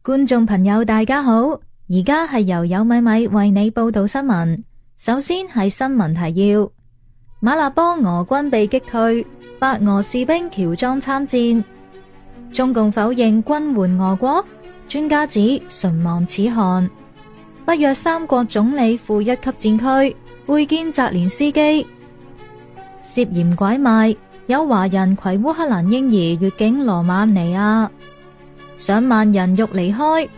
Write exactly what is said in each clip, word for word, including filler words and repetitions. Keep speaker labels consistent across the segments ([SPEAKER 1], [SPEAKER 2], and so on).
[SPEAKER 1] 觀眾朋友大家好，而家係由有米米為你報道新聞。首先係新聞提要：馬勒邦俄軍被擊退，白俄士兵喬裝參戰。中共否認軍援俄國，專家指唇亡齒寒。北約三國總理赴一級戰區會見澤連斯基。涉嫌拐賣，有華人攜烏克蘭嬰兒越境羅馬尼亞。上萬人欲離開，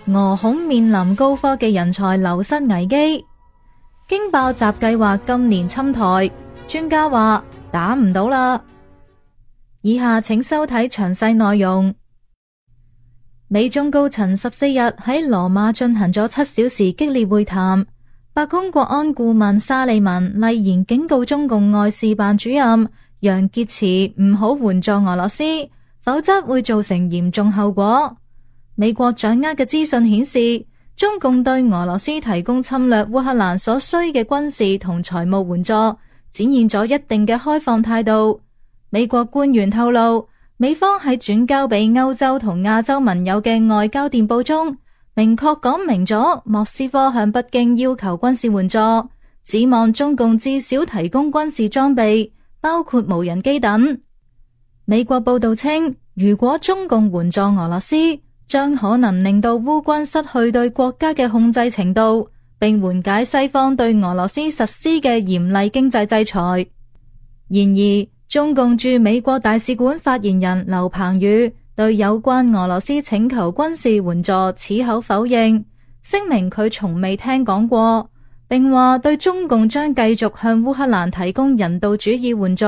[SPEAKER 1] 俄恐面臨高科技人才流失危機。驚爆習計劃今年侵台，專家話打唔到啦。以下請收睇詳細內容。美中高層十四日喺羅馬進行咗七小時激烈會談。白宮國安顧問沙利文厲言警告中共外事辦主任楊潔篪唔好援助俄羅斯，否則會造成嚴重後果。美國掌握嘅資訊顯示，中共對俄羅斯提供侵略烏克蘭所需嘅軍事同財務援助，展現咗一定嘅開放態度。美國官員透露，美方喺轉交俾歐洲同亞洲盟友嘅外交電報中，明確講明咗莫斯科向北京要求軍事援助，指望中共至少提供軍事裝備，包括無人機等。美國報道稱，如果中共援助俄羅斯，將可能令到烏軍失去對國家嘅控制程度，並緩解西方對俄羅斯實施嘅嚴厲經濟制裁。然而，中共駐美國大使館發言人劉鵬宇對有關俄羅斯請求軍事援助矢口否認，聲明佢從未聽講過，並話對中共將繼續向烏克蘭提供人道主義援助。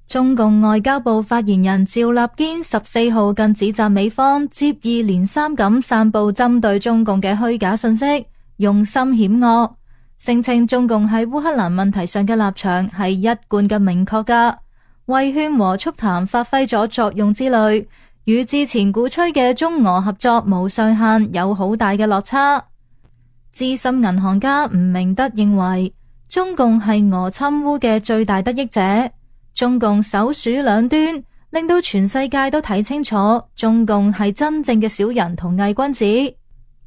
[SPEAKER 1] 中共外交部發言人趙立堅十四號更指責美方接二連三咁散布針對中共嘅虛假信息，用心險惡，聲稱中共喺烏克蘭問題上嘅立場係一貫嘅明確噶，為勸和促談發揮咗作用之類，與之前鼓吹嘅中俄合作無上限有好大嘅落差。資深銀行家吳明德認為，中共係俄侵烏嘅最大得益者。中共首鼠兩端，令到全世界都睇清楚，中共係真正嘅小人同偽君子。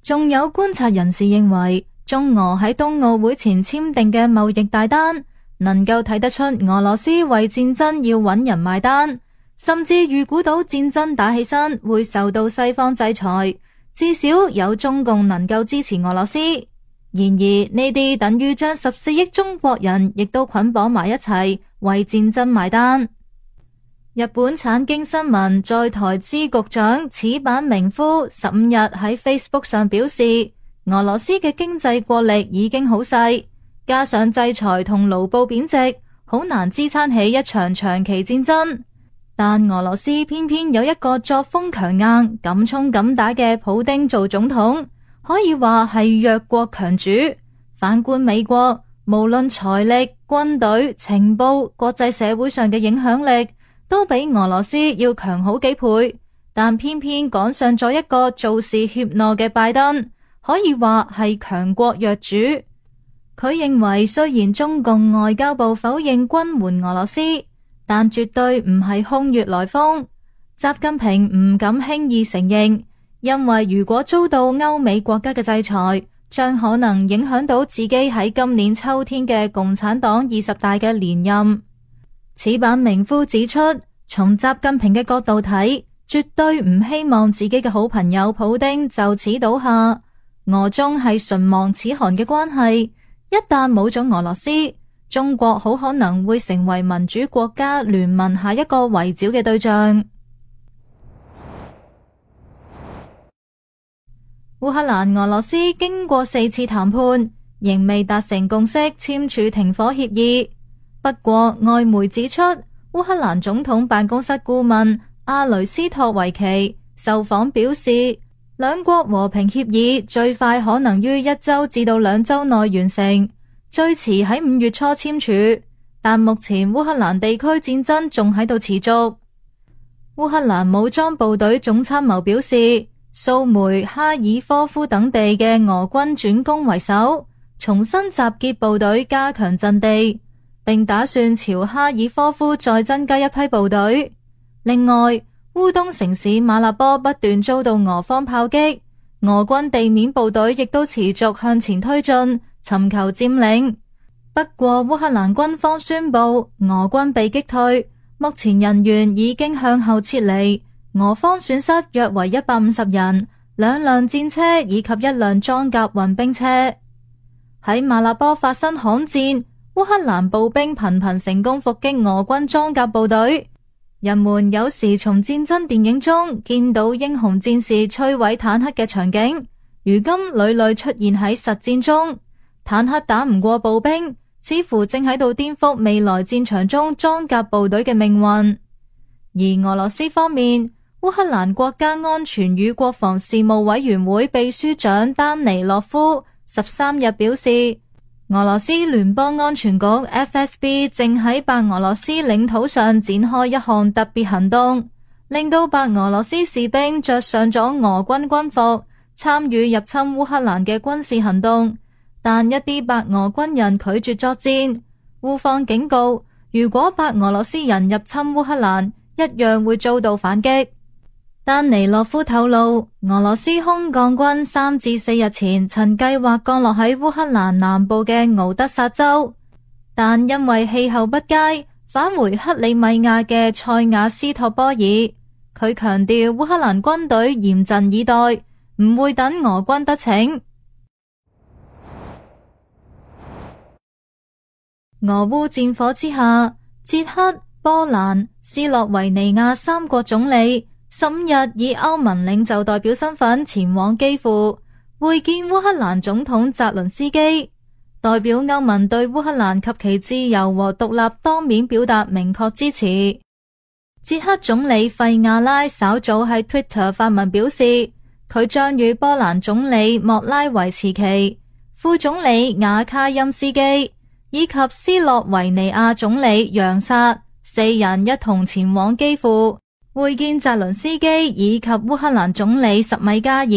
[SPEAKER 1] 仲有觀察人士認為，中俄喺冬奧會前簽訂嘅貿易大單，能夠睇得出俄羅斯為戰爭要揾人埋單，甚至預估到戰爭打起身會受到西方制裁，至少有中共能夠支持俄羅斯。然而呢啲等於將十四億中國人亦都捆綁埋一齊，為戰爭埋單。日本產經新聞在台支局長矢板明夫十五日喺 Facebook 上表示，俄羅斯嘅經濟國力已經好細，加上制裁同盧布貶值，好難支撐起一場長期戰爭。但俄羅斯偏偏有一個作風強硬、敢衝敢打嘅普丁做總統，可以話係弱國強主。反觀美國，無論財力、軍隊、情報、國際社會上嘅影響力，都比俄羅斯要強好幾倍。但偏偏趕上咗一個做事怯懦嘅拜登，可以話係強國弱主。佢認為雖然中共外交部否認軍援俄羅斯，但絕對唔係空穴來風。習近平唔敢輕易承認，因為如果遭到歐美國家嘅制裁，將可能影響到自己喺今年秋天嘅共產黨二十大嘅連任。矢板明夫指出，從習近平嘅角度睇，絕對唔希望自己嘅好朋友普丁就此倒下。俄中係唇亡齒寒嘅關係，一旦冇咗俄羅斯，中國好可能會成為民主國家聯盟下一個圍剿嘅對象。烏克蘭俄羅斯經過四次談判，仍未達成共識，簽署停火協議。不過外媒指出，烏克蘭總統辦公室顧問阿雷斯托維奇受訪表示，兩國和平協議最快可能於一周至到兩周內完成，最遲喺五月初簽署。但目前烏克蘭地區戰爭仲喺度持續。烏克蘭武裝部隊總參謀表示，蘇梅、哈爾科夫等地嘅俄軍轉攻為首，重新集結部隊加強陣地，並打算朝哈爾科夫再增加一批部隊。另外，烏東城市馬立波不斷遭到俄方炮擊，俄軍地面部隊亦都持續向前推進，尋求佔領。不過烏克蘭軍方宣布俄軍被擊退，目前人員已經向後撤離，俄方損失約為一百五十人，兩輛戰車以及一輛裝甲運兵車。喺馬立波發生巷戰，烏克蘭步兵頻頻成功伏擊俄軍裝甲部隊。人們有時從戰爭電影中見到英雄戰士摧毀坦克嘅場景，如今屢屢出現喺實戰中。坦克打唔過步兵，似乎正喺度顛覆未來戰場中裝甲部隊嘅命運。而俄羅斯方面，烏克蘭國家安全與國防事務委員會秘書長丹尼洛夫十三日表示，俄羅斯聯邦安全局 F S B 正喺白俄羅斯領土上展開一項特別行動，令到白俄羅斯士兵着上咗俄軍軍服，參與入侵烏克蘭嘅軍事行動。但一啲白俄軍人拒絕作戰，烏方警告，如果白俄羅斯人入侵烏克蘭，一樣會遭到反擊。丹尼洛夫透露，俄羅斯空降軍三至四日前曾計劃降落喺烏克蘭南部嘅敖德薩州，但因為氣候不佳，返回克里米亞嘅塞瓦斯托波爾。佢強調烏克蘭軍隊嚴陣以待，唔會等俄軍得逞。俄烏戰火之下，捷克、波蘭、斯洛維尼亞三國總理十五日以歐盟領袖代表身份前往基輔會見烏克蘭總統澤倫斯基，代表歐盟對烏克蘭及其自由和獨立當面表達明確支持。捷克總理費亞拉稍早喺 Twitter 發文表示，佢將與波蘭總理莫拉維茨奇、副總理瓦卡欽斯基以及斯洛維尼亞總理楊薩四人一同前往基輔會見澤倫斯基以及烏克蘭總理什米加爾。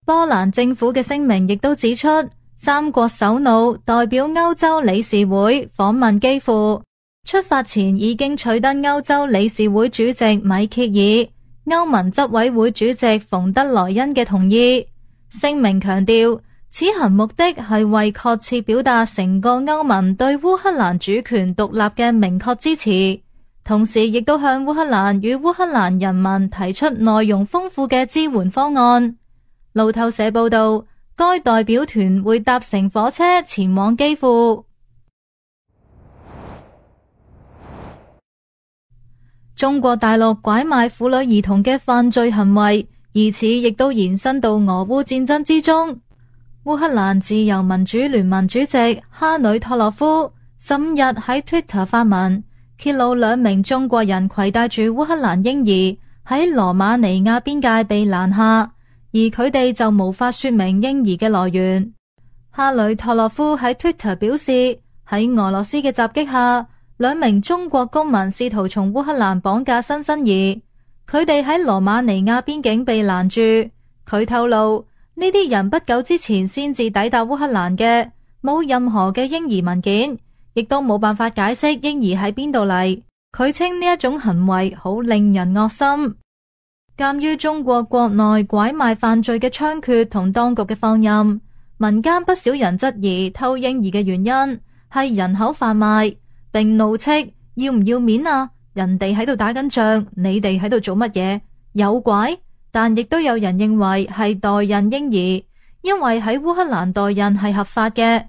[SPEAKER 1] 波蘭政府嘅聲明亦都指出，三國首腦代表歐洲理事會訪問基輔，出發前已經取得歐洲理事會主席米歇爾、歐盟執委會主席馮德萊恩嘅同意。聲明強調，此行目的係為確切表達成個歐盟對烏克蘭主權獨立嘅明確支持，同時亦都向烏克蘭與烏克蘭人民提出內容豐富嘅支援方案。路透社報道，該代表團會搭乘火車前往基輔。中國大陸拐賣婦女兒童嘅犯罪行為，疑似亦都延伸到俄烏戰爭之中。烏克蘭自由民主聯盟主席哈里托洛夫十五日喺 Twitter 發文，揭露兩名中國人攜帶住烏克蘭嬰兒喺羅馬尼亞邊界被攔下，而佢哋就無法說明嬰兒嘅來源。哈里托洛夫喺 Twitter 表示，喺俄羅斯嘅襲擊下，兩名中國公民試圖從烏克蘭綁架新生兒，佢哋喺羅馬尼亞邊境被攔住。佢透露，呢啲人不久之前先至抵達烏克蘭嘅，冇任何嘅嬰兒文件，亦都冇辦法解釋嬰兒喺邊度嚟。佢稱呢一種行為好令人惡心。鑒於中國國內拐賣犯罪嘅猖獗同當局嘅放任，民間不少人質疑偷嬰兒嘅原因係人口販賣，並怒斥要唔要面啊？人哋喺度打緊仗，你哋喺度做乜嘢？有拐？但亦都有人認為係代孕嬰兒，因為喺烏克蘭代孕係合法嘅。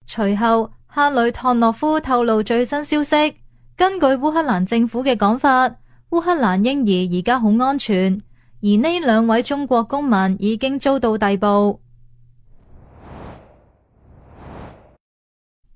[SPEAKER 1] 隨後，哈里托洛夫透露最新消息，根據烏克蘭政府嘅講法，烏克蘭嬰兒而家好安全，而呢兩位中國公民已經遭到逮捕。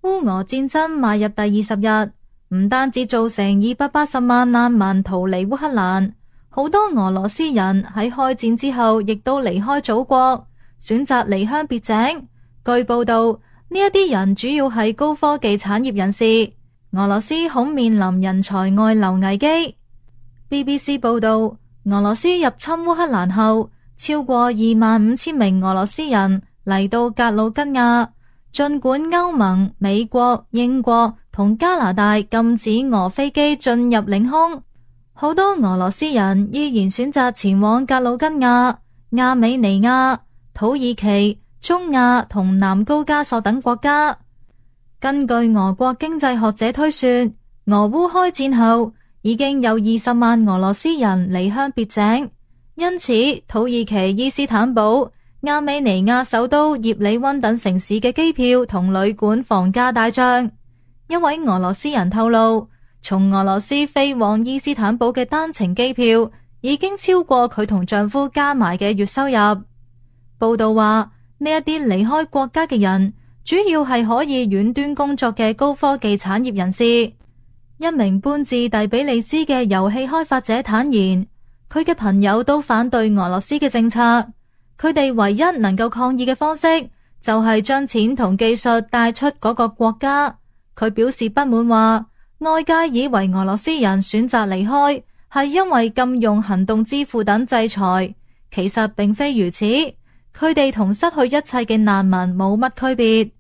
[SPEAKER 1] 烏俄戰爭邁入第二十日，唔單止造成二百八十萬難民逃離烏克蘭，好多俄羅斯人喺開戰之後亦都離開祖國，選擇離鄉別井。據報道，呢一啲人主要係高科技產業人士，俄羅斯恐面臨人才外流危機。B B C 報道，俄羅斯入侵烏克蘭後，超過二萬五千名俄羅斯人嚟到格魯吉亞。盡管歐盟、美國、英國同加拿大禁止俄飛機進入領空，好多俄羅斯人依然選擇前往格魯吉亞、亞美尼亞、土耳其、中亞同南高加索等國家。根據俄國經濟學者推算，俄烏開戰後已經有二十萬俄羅斯人離鄉別井，因此土耳其伊斯坦堡、亞美尼亞首都葉里溫等城市嘅機票同旅館房價大漲。一位俄羅斯人透露，從俄羅斯飛往伊斯坦堡嘅單程機票已經超過佢同丈夫加埋嘅月收入。報道話，呢一啲離開國家嘅人主要係可以遠端工作嘅高科技產業人士。一名搬至第比利斯嘅遊戲開發者坦言，佢嘅朋友都反對俄羅斯嘅政策，佢哋唯一能夠抗議嘅方式就係將錢同技術帶出嗰個國家。佢表示不滿話，外界以為俄羅斯人選擇離開係因為禁用行動支付等制裁，其實並非如此。佢哋同失去一切嘅難民冇乜區別。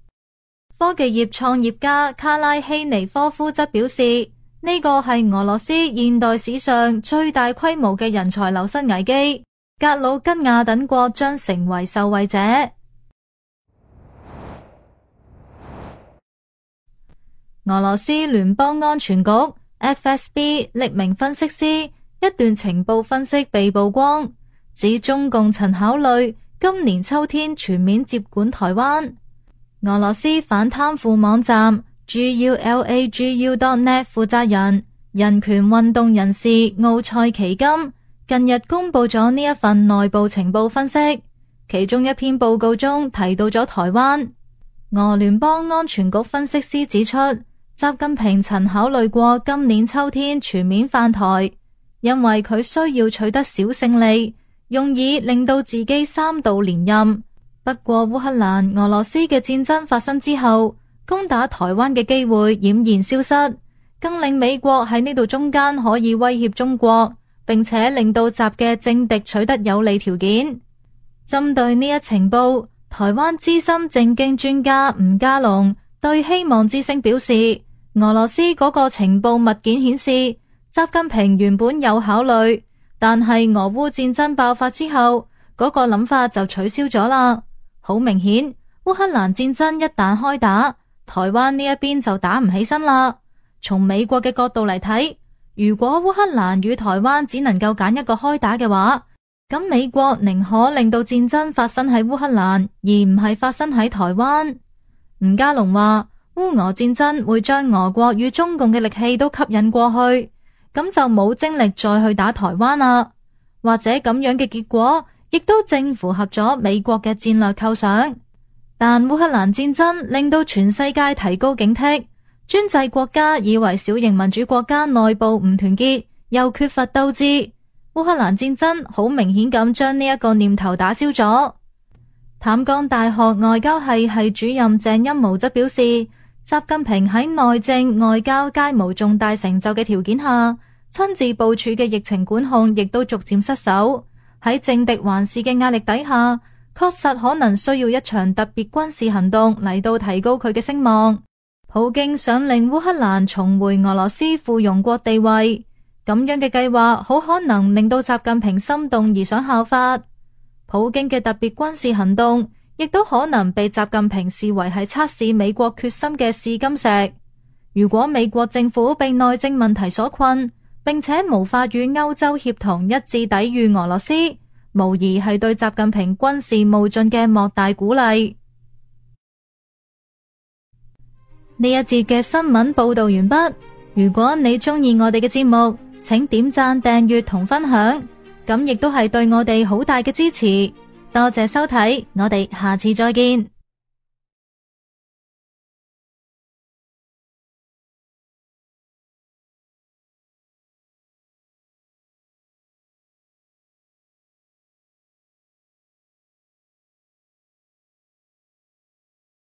[SPEAKER 1] 科技業創業家卡拉希尼科夫則表示，呢個係俄羅斯現代史上最大規模嘅人才流失危機，格魯吉亞等國將成為受惠者。俄羅斯聯邦安全局 F S B 匿名分析師一段情報分析被曝光，指中共曾考慮今年秋天全面接管台灣。俄羅斯反貪腐網站 G U L A G U dot net 負責人、人權運動人士奧塞奇金近日公布咗呢一份內部情報分析，其中一篇報告中提到咗台灣。俄聯邦安全局分析師指出，習近平曾考慮過今年秋天全面犯台，因為佢需要取得小勝利，用以令到自己三度連任。不過烏克蘭俄羅斯嘅戰爭發生之後，攻打台灣嘅機會儼然消失，更令美國喺呢度中間可以威脅中國，並且令到習嘅政敵取得有利條件。針對呢一情報，台灣資深政經專家吳家龍對希望之聲表示，俄羅斯嗰個情報物件顯示，習近平原本有考慮，但係俄烏戰爭爆發之後，嗰個諗法就取消咗啦。好明顯，烏克蘭戰爭一旦開打，台灣呢一邊就打唔起身啦。從美國嘅角度嚟睇，如果烏克蘭與台灣只能夠揀一個開打嘅話，咁美國寧可令到戰爭發生喺烏克蘭，而唔係發生喺台灣。吳家龍話，烏俄戰爭會將俄國與中共嘅力氣都吸引過去，咁就冇精力再去打台灣啦。或者咁樣嘅結果亦都正符合咗美國嘅戰略構想。但烏克蘭戰爭令到全世界提高警惕，專制國家以為小型民主國家內部唔團結，又缺乏鬥志。烏克蘭戰爭好明顯咁將呢一個念頭打消咗。淡江大學外交系系主任鄭欽模則表示，習近平喺內政外交皆無重大成就嘅條件下，親自部署嘅疫情管控亦都逐漸失守。喺政敵環視嘅壓力底下，確實可能需要一場特別軍事行動嚟到提高佢嘅聲望。普京想令烏克蘭重回俄羅斯附庸國地位，咁樣嘅計劃好可能令到習近平心動而想效法。普京嘅特別軍事行動亦都可能被習近平視為係測試美國決心嘅試金石。如果美國政府被內政問題所困，並且無法與歐洲協同一致抵禦俄羅斯，無疑係對習近平軍事冒進嘅莫大鼓勵。呢一節嘅新聞報道完畢。如果你中意我哋嘅節目，請點讚、訂閱同分享，咁亦都係對我哋好大嘅支持。多謝收睇，我哋下次再見。